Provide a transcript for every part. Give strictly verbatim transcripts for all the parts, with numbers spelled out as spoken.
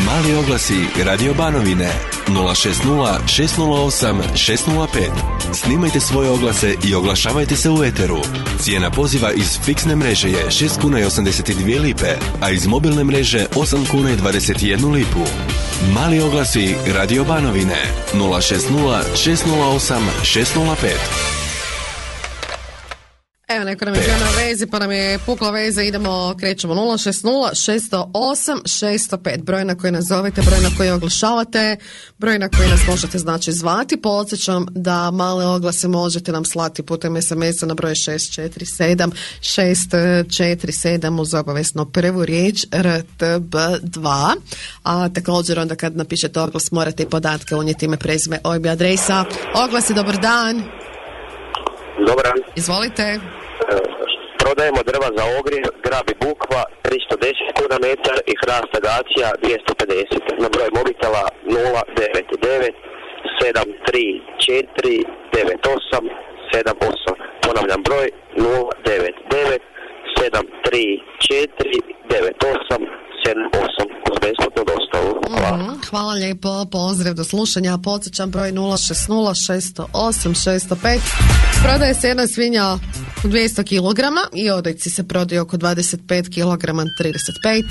Mali oglasi Radio Banovine nula šest nula šest nula osam šest nula pet. Snimajte svoje oglase i oglašavajte se u eteru. Cijena poziva iz fiksne mreže je šest kuna i osamdeset dvije lipe, a iz mobilne mreže osam kuna i dvadeset jednu lipu. Mali oglasi Radio Banovine nula šest nula šest nula osam šest nula pet. Evo, neko nam je bio na vezi, pa nam je pukla veza, idemo, krećemo nula šest nula šest nula osam šest nula pet, broj na koji nazovete, broj na koji oglašavate, broj na koji nas možete znači zvati. Podsjećam da male oglase možete nam slati putem es em es-a na broj šest četiri sedam šest četiri sedam uz obavezno prvu riječ R T B dva, a također onda kad napišete oglas morate i podatke unijeti, ime, prezime, O I B, adresa. Oglasi, dobar dan. Dobar dan. Izvolite. Prodajemo drva za ogrijev, grab i bukva tristo deset kuna metar i hrast agacija dvjesto pedeset. Na broj mobitela nula devet devet sedam tri četiri devet osam sedam osam. Ponavljam broj nula devet devet sedam tri četiri devet osam sedam osam uz besplatnu dostavu. Hvala. Mm-hmm. Hvala lijepo, pozdrav, do slušanja. Podsjećam broj nula šest nula šest nula osam šest nula pet. Prodaje se jedna svinja dvjesto kilograma i odojci se prodaju oko dvadeset pet kilograma trideset pet.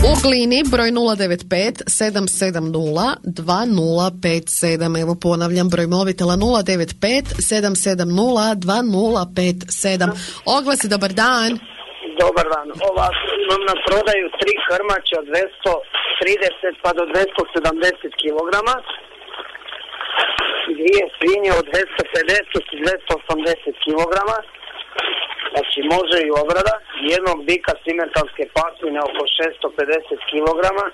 U Glini broj nula devet pet sedam sedam nula dva nula pet sedam. Evo ponavljam, broj mobitela nula devet pet sedam sedam nula dva nula pet sedam. Oglasi, dobar dan. Dobar dan. Ovako, imam na prodaju tri krmače od dvjesto trideset pa do dvjesto sedamdeset kilograma. Dvije svinje od dvjesto pedeset i dvjesto osamdeset kilograma. Znači može i obrada. Jednog bika simentalske pasmine oko šesto pedeset kilograma.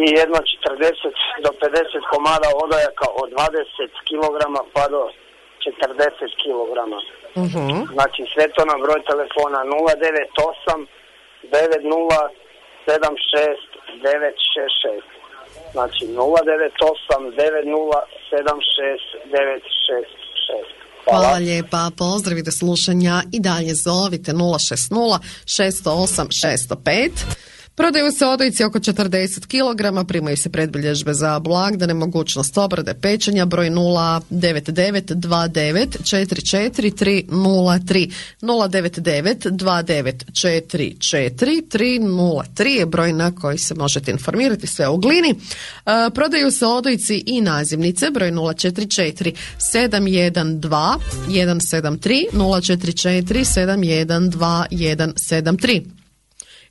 I jedno četrdeset do pedeset komada odojaka od dvadeset kilograma pa do četrdeset kilograma. Uh-huh. Znači sve to na broj telefona nula devet osam devet nula sedam šest devet šest šest. Znači nula devet osam devet nula sedam šest devet šest šest. Hvala. Hvala lijepa, pozdravi, do slušanja i dalje zovite nula šest nula šest nula osam šest nula pet. Prodaju se odojci oko četrdeset kilograma, primaju se predbilježbe za blagdane, mogućnost obrade, pečenja, broj nula devet devet dva devet četiri četiri tri nula tri. nula devet devet dva devet četiri četiri tri nula tri je broj na koji se možete informirati, sve u Glini. E, prodaju se odojci i nazivnice, broj nula četiri četiri sedam jedan dva jedan sedam tri nula četiri četiri sedam jedan dva jedan sedam tri.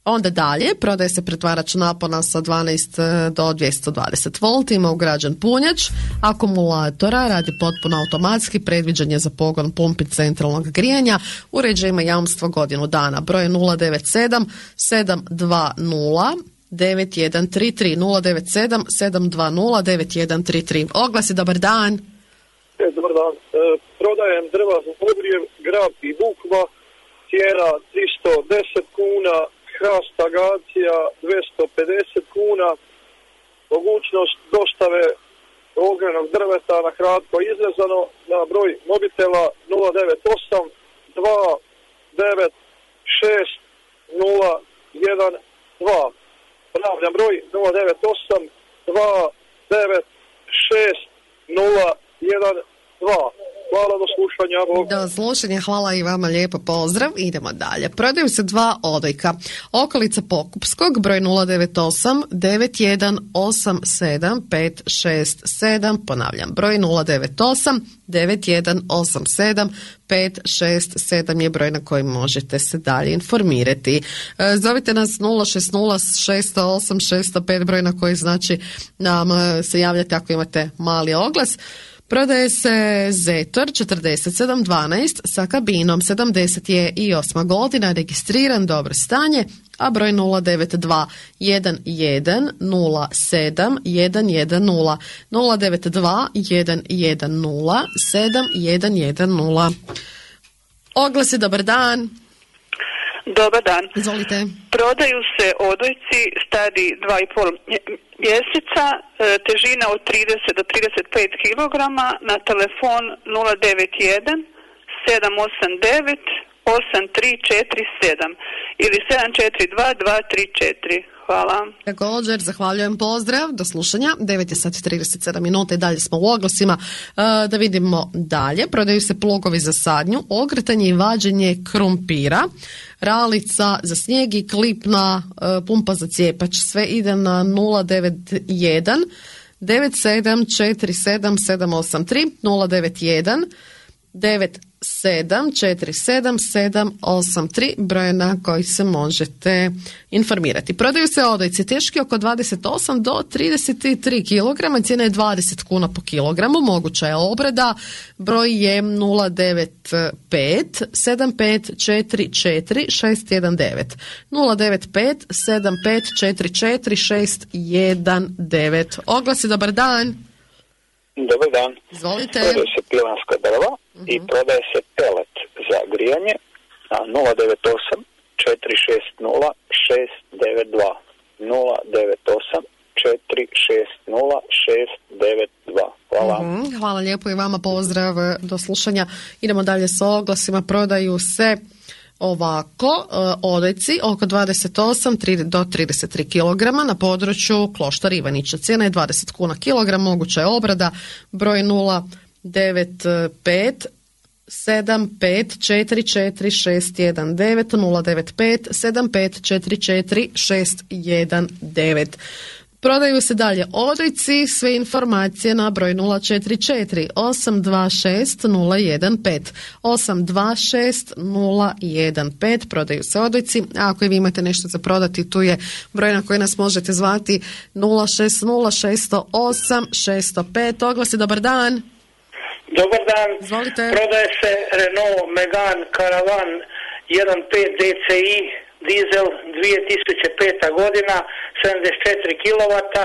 Onda dalje, prodaje se pretvarač napona sa dvanaest do dvjesto dvadeset volti, ima ugrađen punjač akumulatora, radi potpuno automatski, predviđen je za pogon pumpi centralnog grijanja, uređaj ima jamstvo godinu dana, broj nula devet sedam sedam dva nula devet jedan tri tri nula devet sedam sedam dva nula devet jedan tri tri. Oglasi, dobar dan. E, dobar dan. E, prodajem drva za ogrijev, grab i bukva, cijena tristo deset kuna, hrast agacija dvjesto pedeset kuna, mogućnost dostave ognjenog drveta na kratko izrezano na broj mobitela nula devet osam dva devet šest nula jedan dva. Ponavljam broj nula devet osam dva devet šest nula jedan dva. Hvala, do slušanja. Do slušanja, hvala i vama, lijepo pozdrav. Idemo dalje. Prodaju se dva odojka. Okolica Pokupskog, broj nula devet osam devet jedan osam sedam pet šest sedam. Ponavljam, broj nula devet osam devet jedan osam sedam pet šest sedam je broj na koji možete se dalje informirati. Zovite nas nula šest nula šest nula osam šest nula pet, broj na koji znači nam se javljate ako imate mali oglas. Prodaje se Zetor četrdeset sedam dvanaest sa kabinom, sedamdeset je i osma godina, registriran, dobro stanje, a broj nula devet dva jedan jedan nula sedam jedan jedan nula nula devet dva jedan jedan nula sedam jedan jedan nula. Oglasi, dobar dan. Dobar dan. Izvolite. Prodaju se odojci stari dva i pol mjeseca, težina od trideset do trideset pet kilograma, na telefon nula devet jedan sedam osam devet osam tri četiri sedam ili sedam četiri dva dva tri četiri. hvala. Također, zahvaljujem, pozdrav, do slušanja. devet je sati trideset sedam minuta i dalje smo u oglasima. E, da vidimo dalje. Prodaju se plogovi za sadnju, okretanje i vađenje krumpira, ralica za snijeg i klipna e, pumpa za cijepač. Sve ide na nula devet jedan devet sedam četiri sedam sedam osam tri, nula devet jedan devet sedam četiri sedam sedam osam tri, broj na koji se možete informirati. Prodaju se odojci teški oko dvadeset osam do trideset tri kilograma, cijena je dvadeset kuna po kilogramu, moguća je obrada, broj je nula devet pet sedam pet četiri četiri šest jedan devet, nula devet pet sedam pet četiri četiri šest jedan devet. Oglasi, dobar dan. Dobar dan. Izvolite. Prodaje se pilanska drva uh-huh. i prodaje se pelet za grijanje na nula devet osam četiri šest nula šest devet dva, nula devet osam četiri šest nula šest devet dva. Hvala. Uh-huh. Hvala lijepo i vama, pozdrav, do slušanja. Idemo dalje sa oglasima. Prodaju se ovako odojci oko dvadeset osam do trideset tri kilograma na području Kloštar Ivanića. Cijena je dvadeset kuna kilogram, moguća je obrada, broj nula devet pet sedam pet četiri četiri šest jedan devet, nula devet pet sedam pet četiri četiri šest jedan devet. Prodaju se dalje odojci, sve informacije na broj nula četiri četiri osam dva šest nula jedan pet, osam dva šest nula jedan pet. Prodaju se odojci, a ako vi imate nešto za prodati, tu je broj na koji nas možete zvati nula šest nula šest nula osam šest nula pet. Oglasi, dobar dan. Dobar dan. Izvolite. Prodaje se Renault Megane Caravan jedan pet D C I dizel dvije tisuće peta godina, sedamdeset četiri kilovata,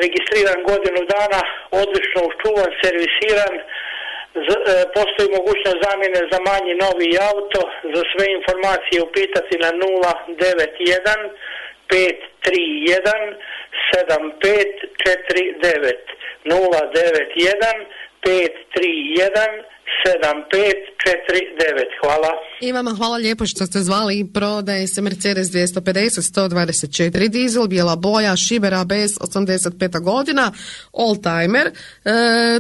registriran godinu dana, odlično uščuvan, servisiran. Z, e, postoji mogućnost zamjene za manji novi auto. Za sve informacije upitati na nula devet jedan pet tri jedan sedam pet četiri devet, nula devet jedan pet tri jedan sedam pet četiri devet. Hvala. I vama hvala lijepo što ste zvali. Prodaje se Mercedes dvjesto pedeset sto dvadeset četiri dizel, bijela boja, šiber A B S, osamdeset peta godina, oldtimer, e,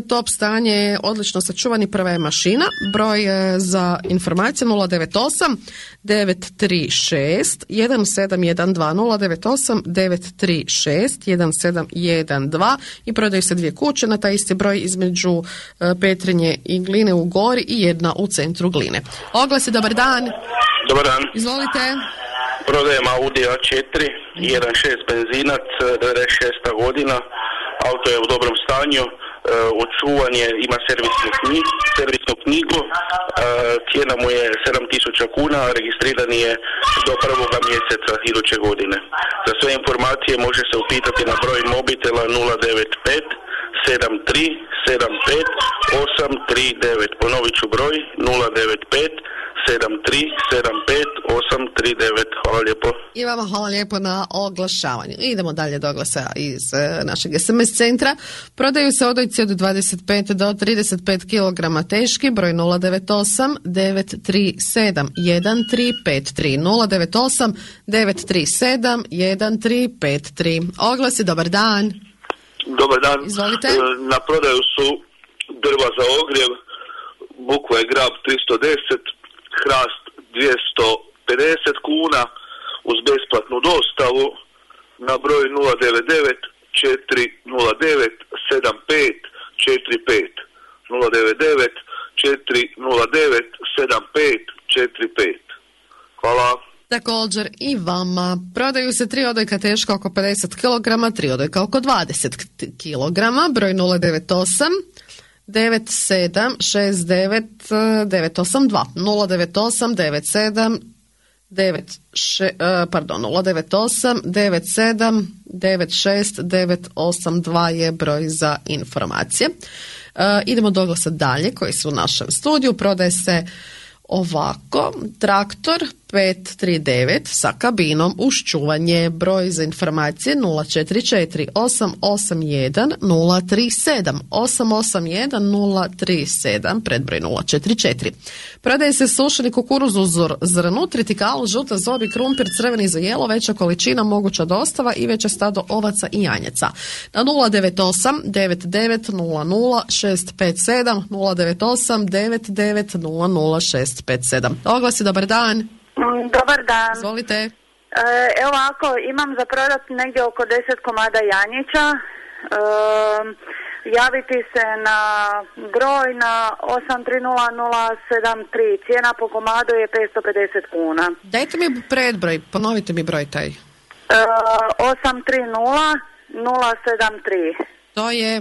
top stanje, odlično sačuvani, prva je mašina. Broj e, za informacije nula devet osam devet tri šest jedan sedam jedan dva, nula devet osam devet tri šest jedan sedam jedan dva. I prodaju se dvije kuće na taj isti broj između e, Petrinje i Gline u Gori i jedna u centru Gline. Oglasi, dobar dan. Dobar dan. Izvolite. Prodajem Audi A četiri, jedan šest benzinac, devedeset šesta godina, auto je u dobrom stanju, očuvan je, ima servisnu knjigu, servisnu knjigu, cijena mu je sedam tisuća kuna, registriran je do prvoga mjeseca iduće godine. Za sve informacije može se upitati na broj mobitela nula devet pet sedam tri sedam pet osam tri devet. Ponovit ću broj nula devet pet sedam tri sedam pet osam tri devet. Hvala lijepo. I vama hvala lijepo na oglašavanju. Idemo dalje do oglasa iz e, našeg es em es centra. Prodaju se odojci od dvadeset pet do trideset pet kilograma teški, broj nula devet osam devet tri sedam jedan tri pet tri, nula devet osam devet tri sedam jedan tri pet tri. Oglasi, dobar dan. Dobar dan. Izvolite. Na prodaju su drva za ogrjev, bukva je grab tristo deset, hrast dvjesto pedeset kuna uz besplatnu dostavu na broj nula devet devet četiri nula devet sedam pet četiri pet, nula devet devet četiri nula devet sedam pet četiri pet. Hvala. Također i vama. Prodaju se tri odojka teška oko pedeset kilograma, tri odojka oko dvadeset kilograma, broj nula devet osam devet sedam šest devet devet osam dva, nula devet osam devet sedam devet pardon nula devet osam devet sedam devet šest devet osam dva je broj za informacije. Uh, idemo do oglasa dalje koji su u našem studiju. Prodaje se ovako, traktor pet tri devet sa kabinom uz čuvanje. Broj za informacije nula četiri četiri osam osam jedan nula tri sedam osam osam jedan nula tri sedam, predbroj nula četiri četiri. Prodaje se sušeni kukuruz uz zrnu, tritikal, žuta zobi, krumpir, crveni za jelo, veća količina, moguća dostava i veće stado ovaca i janjaca. Na nula devet osam devet devet nula nula šest pet sedam nula devet osam devet devet nula nula šest pet sedam. Oglasi, dobar dan. Dobar dan. Izvolite. E, evo ovako, imam za prodat negdje oko deset komada janjića. E, javiti se na broj na osam tri nula nula sedam tri. Cijena po komadu je petsto pedeset kuna. Dajte mi predbroj, ponovite mi broj taj. E, osam tri nula nula sedam tri. To je...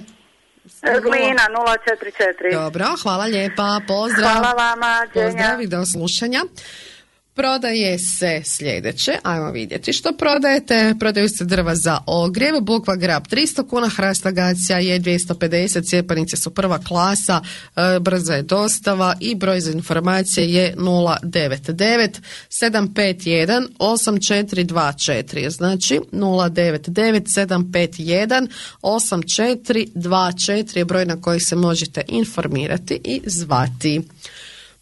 Glina nula četiri četiri. Dobro, hvala lijepa, pozdrav. Hvala vama, dženja. Pozdrav i do slušanja. Prodaje se sljedeće, ajmo vidjeti što prodajete. Prodaju se drva za ogrjev, bukva grab tristo kuna, hrast agacija je dvjesto pedeset, cijepanice su prva klasa, e, brza je dostava i broj za informacije je nula devet devet sedam pet jedan osam četiri dva četiri, znači nula devet devet sedam pet jedan osam četiri dva četiri je broj na koji se možete informirati i zvati.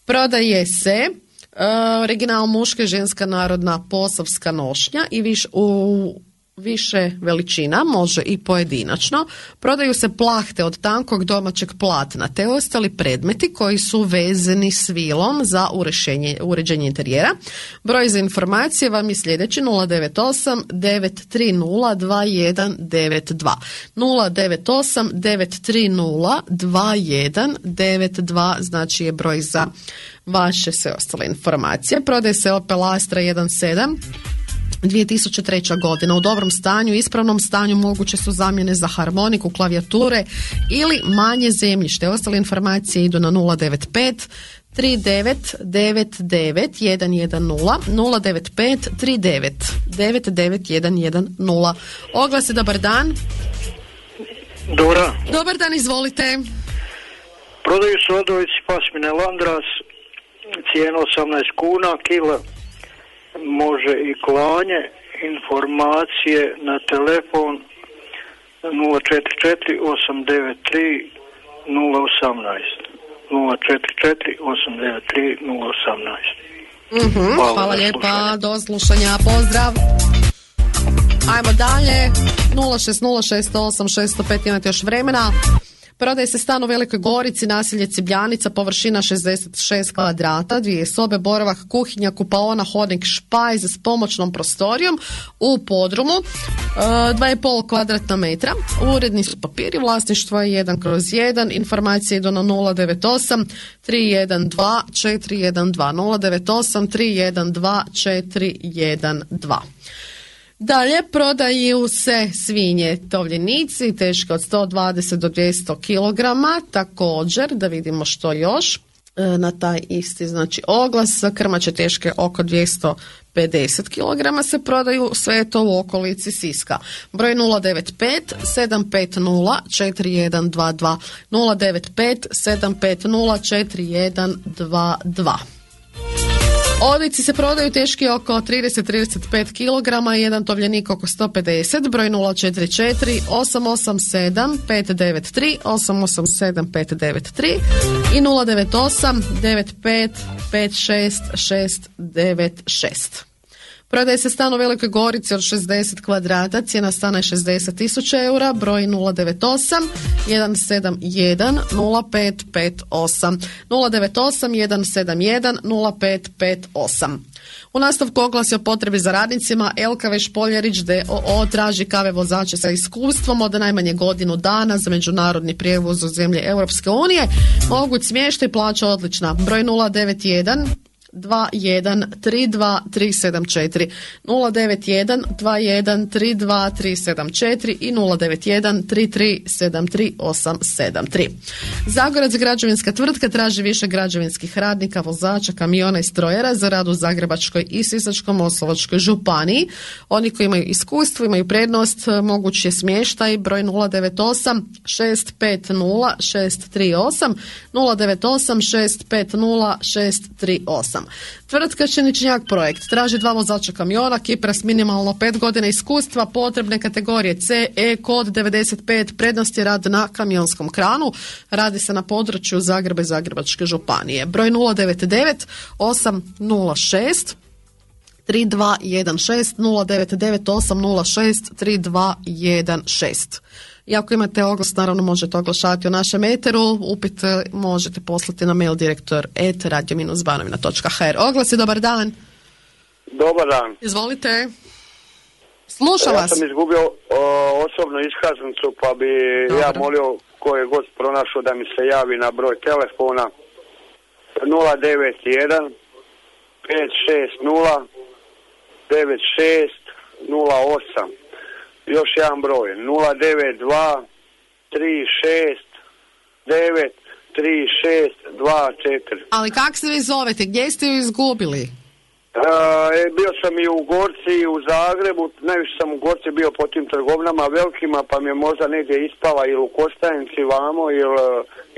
Prodaje se Uh, original muška, ženska, narodna, posavska nošnja i viš, u više veličina, može i pojedinačno. Prodaju se plahte od tankog domaćeg platna te ostali predmeti koji su vezani svilom za uređenje, uređenje interijera. Broj za informacije vam je sljedeći nula devet osam devet tri nula dva jedan devet dva nula devet osam devet tri nula dva jedan devet dva, znači je broj za vaše sve ostale informacije. Prodaje se Opel Astra jedan sedam dvije tisuće treća godina u dobrom stanju, ispravnom stanju, moguće su zamjene za harmoniku, klavijature ili manje zemljište. Ostale informacije idu na nula devet pet tri devet devet devet jedan jedan nula nula devet pet tri devet devet devet jedan jedan nula. Oglasi, dobar dan. Dobar. Dobar dan, izvolite. Prodaju se odojci pasmine Landras, cijena osamnaest kuna, kila, može i klanje, informacije na telefon nula četiri četiri osam devet tri nula osam naest nula četiri četiri osam devet tri nula osam naest. Mm-hmm, hvala hvala lijepa, do slušanja, pozdrav. Ajmo dalje, nula šest nula šest osam šest nula pet, imate još vremena. Prodaje se stan u Velikoj Gorici, naselje Cibljanica, površina šezdeset šest kvadrata, dvije sobe, boravak, kuhinja, kupaona, hodnik, špajz s pomoćnom prostorijom u podrumu, dva i pol kvadratna metra. Uredni su papiri, vlasništvo je jedan kroz jedan, informacije idu na nula devet osam tri jedan dva četiri jedan dva nula devet osam tri jedan dva četiri jedan dva. Dalje, prodaju se svinje tovljenici, teške od sto dvadeset do dvjesto kilograma, također, da vidimo što još, na taj isti, znači, oglas, krmače teške oko dvjesto pedeset kilograma se prodaju, sve to u okolici Siska. Broj nula devet pet sedam pet nula četiri jedan dva dva nula devet pet sedam pet nula četiri jedan dva dva. Odojci se prodaju teški oko trideset do trideset pet kilograma, jedan tovljenik oko sto pedeset, broj nula četiri četiri osam osam sedam pet devet tri osam osam sedam pet devet tri i nula devet osam devet pet pet šest šest devet šest. Prodaje se stan u Velikoj Gorici od šezdeset kvadrata, cijena stana je šezdeset tisuća eura, broj nula devet osam jedan sedam jedan nula pet pet osam nula devet osam jedan sedam jedan nula pet pet osam. U nastavku oglas je o potrebi za radnicima. El Ka ve Špoljarić d o o traži kave vozače sa iskustvom od najmanje godinu dana za međunarodni prijevoz u zemlje Europske unije. Moguć smještaj, plaća odlična. Broj nula devet jedan dva jedan tri dva tri sedam četiri nula devet jedan dva jedan tri dva tri sedam četiri i nula devet jedan tri tri sedam tri osam sedam tri. Zagorac građevinska tvrtka traži više građevinskih radnika, vozača, kamiona i strojera za rad u Zagrebačkoj i Sisačko-moslavačkoj županiji. Oni koji imaju iskustvo, imaju prednost, moguć je smještaj. Broj nula devet osam šest pet nula šest tri osam nula devet osam šest pet nula šest tri osam. osam. Tvrtka Šeničnjak projekt traži dva vozača kamiona, Kipra s minimalno pet godina iskustva, potrebne kategorije C, E, kod devedeset pet, prednost je rad na kamionskom kranu. Radi se na području Zagreba i Zagrebačke županije. Broj nula devet devet osam nula šest tri dva jedan šest, nula devet devet osam nula šest tri dva jedan šest. I ako imate oglas, naravno možete oglašavati u našem eteru. Upit možete poslati na mail direktor et radio banovina točka hr. Oglas je, dobar dan. Dobar dan. Izvolite. Slušam vas. Ja sam izgubio o, osobnu iskaznicu, pa bi Dobar. ja molio ko je gost pronašao da mi se javi na broj telefona nula devet jedan pet šest nula devet šest nula osam. Još jedan broj nula devet dva tri šest devet tri šest dva četiri. Ali kak se vi zovete? Gdje ste ju izgubili? E, bio sam i u Gorci i u Zagrebu, najviše sam u Gorci bio po tim trgovinama velikima, pa mi je možda negdje ispala ili u Kostajnici vamo ili,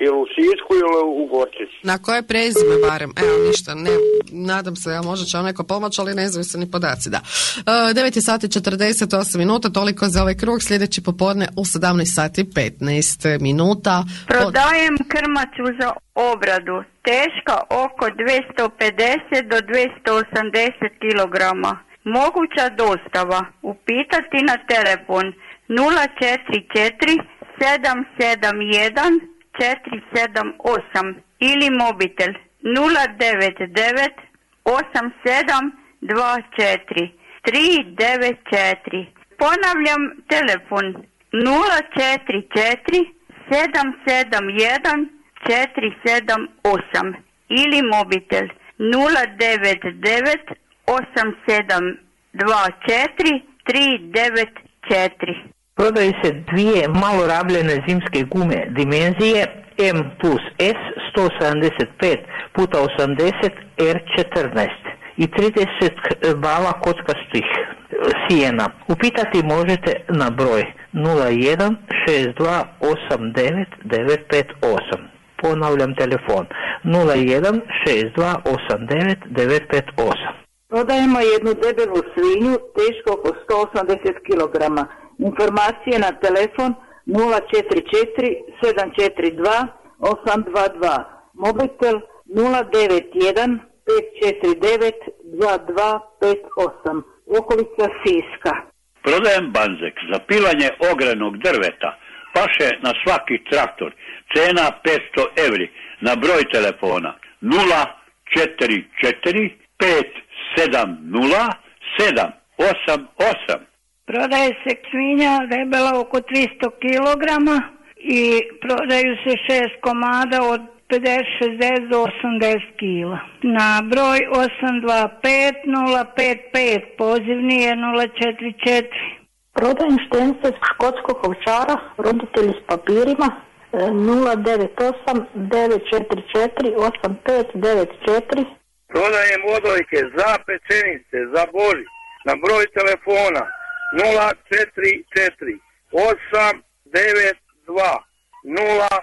ili u Sisku ili u Gorci. Na koje prezime barem? Evo ništa, ne, nadam se, ja možda će vam neko pomoći, ali ne znaju se ni podaci, da. E, devet sati četrdeset osam minuta, toliko za ovaj krug, sljedeći popodne u sedamnaest sati petnaest minuta. Prodajem krmaču za obradu, teška oko dvjesto pedeset do dvjesto osamdeset kilograma. Moguća dostava. Upitati na telefon nula četiri četiri sedam sedam jedan četiri sedam osam ili mobitel nula devet devet osam sedam dva četiri tri devet četiri. Ponavljam telefon nula četiri četiri sedam sedam jedan četiri sedam osam ili mobitel nula devet devet osam sedam dva četiri tri devet četiri. Prodaju se dvije malo rabljene zimske gume dimenzije M plus S sto sedamdeset pet puta osamdeset R četrnaest i trideset bala kockastih sijena. Upitati možete na broj nula jedan šest dva osam devet devet pet osam. Ponavljam telefon nula jedan šest dva osam devet devet pet osam. Prodajemo jednu debelu svinju teško oko sto osamdeset kilograma. Informacije na telefon nula četiri četiri sedam četiri dva osam dva dva. Mobitel nula devet jedan pet četiri devet dva dva pet osam. Okolica Siska. Prodajem banzek za pilanje ogrenog drveta. Paše na svaki traktor. Cena petsto evri. Na broj telefona nula četiri četiri pet sedam nula sedam osam osam. Prodaje se svinja debela oko tristo kilograma i prodaju se šest komada od pedeset šezdeset do osamdeset kila. Na broj osam dva pet nula pet pet, pozivni je nula četiri četiri. Prodajem štence škotskog ovčara, roditelji s papirima, nula devet osam devet četiri četiri osam pet devet četiri. Prodajem odojke za pečenice, za Božić, na broj telefona nula četiri četiri osam devet dva nula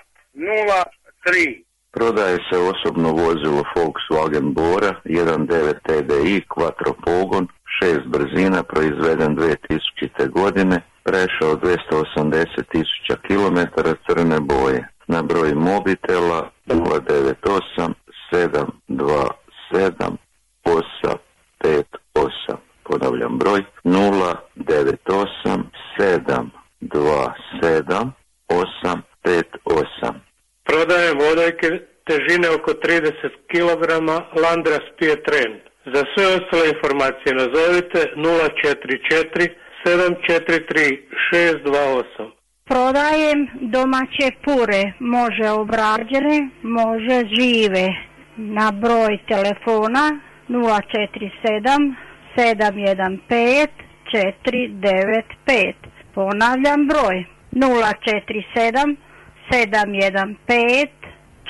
nula tri. Prodaje se osobno vozilo Volkswagen Bora jedan devet T D I, quattro pogon, šest brzina, proizveden dvije tisućite. godine, prešao dvjesto osamdeset tisuća kilometara, crne boje. Na broj mobitela nula devet osam sedam dva sedam osam pet osam. Ponavljam broj nula devet osam sedam dva sedam osam pet osam. Prodajem odojke težine oko trideset kilograma Landras Pietren. Za sve ostale informacije nazovite nula četiri četiri sedam četiri tri šest dva osam. Prodajem domaće pure, može obrađene, može žive. Na broj telefona nula četiri sedam sedam jedan pet četiri devet pet. Ponavljam broj nula četiri sedam sedam jedan pet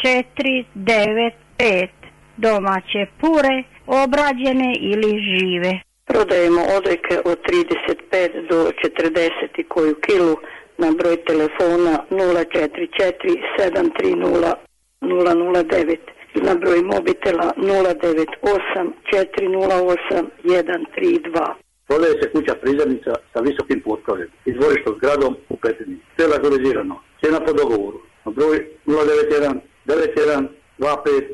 četiri devet pet. Domaće pure, obrađene ili žive. Prodajemo odojke od trideset pet do četrdeset koju kilu na broj telefona nula četiri četiri sedam tri nula nula nula devet na broj mobitela nula devet osam četiri nula osam jedan tri dva. Prodaje se kuća prizemnica sa visokim potkrovljem i dvorištom zgradom u Petrinji. Sve legalizirano. Cijena po dogovoru. Na broj nula devet jedan devet jedan dva pet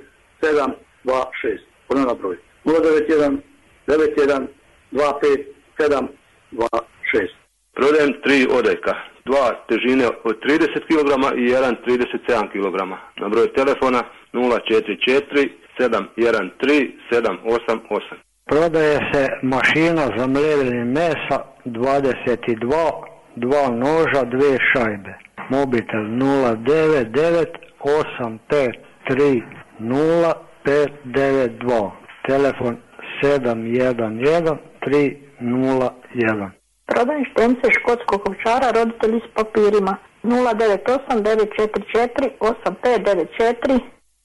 sedam dva šest. Ponavljam broj nula devet jedan devet jedan dva pet sedam dva šest. Prodajem tri odojka. Dva težine od trideset kilograma i jedan trideset sedam kilograma. Na broj telefona nula četiri četiri sedam jedan tri sedam osam osam. Prodaje se mašina za mlevljenje mesa dvadeset dva, dva noža, dve šajbe. Mobitel nula devet devet osam pet tri nula pet devet dva. Telefon sedam jedan jedan tri nula jedan. Prodajem štence škotskog ovčara, roditelji s papirima nula devet osam devet četiri četiri osam pet devet četiri.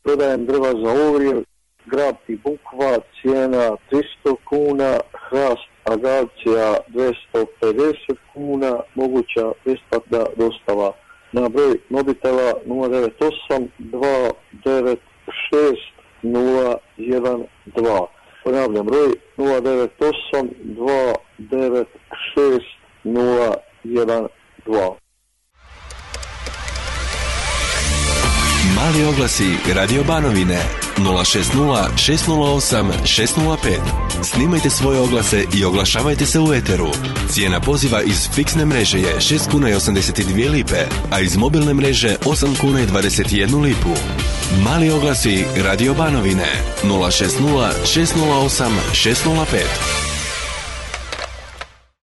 Prodajem drva za ogrjev, grab i bukva, cijena tristo kuna, hrast agacija dvjesto pedeset kuna, moguća besplatna dostava. Na broj mobitela nula devet osam dva devet šest nula jedan dva. Ponavljam broj nula devet osam dva devet šest nula jedan dva. Mali oglasi Radio Banovine nula šest nula šest nula osam šest nula pet. Snimajte svoje oglase i oglašavajte se u eteru. Cijena poziva iz fiksne mreže je šest kuna i osamdeset dvije lipe, a iz mobilne mreže osam kuna i dvadeset jednu lipu. Mali oglasi Radio Banovine nula šest nula šest nula osam šest nula pet.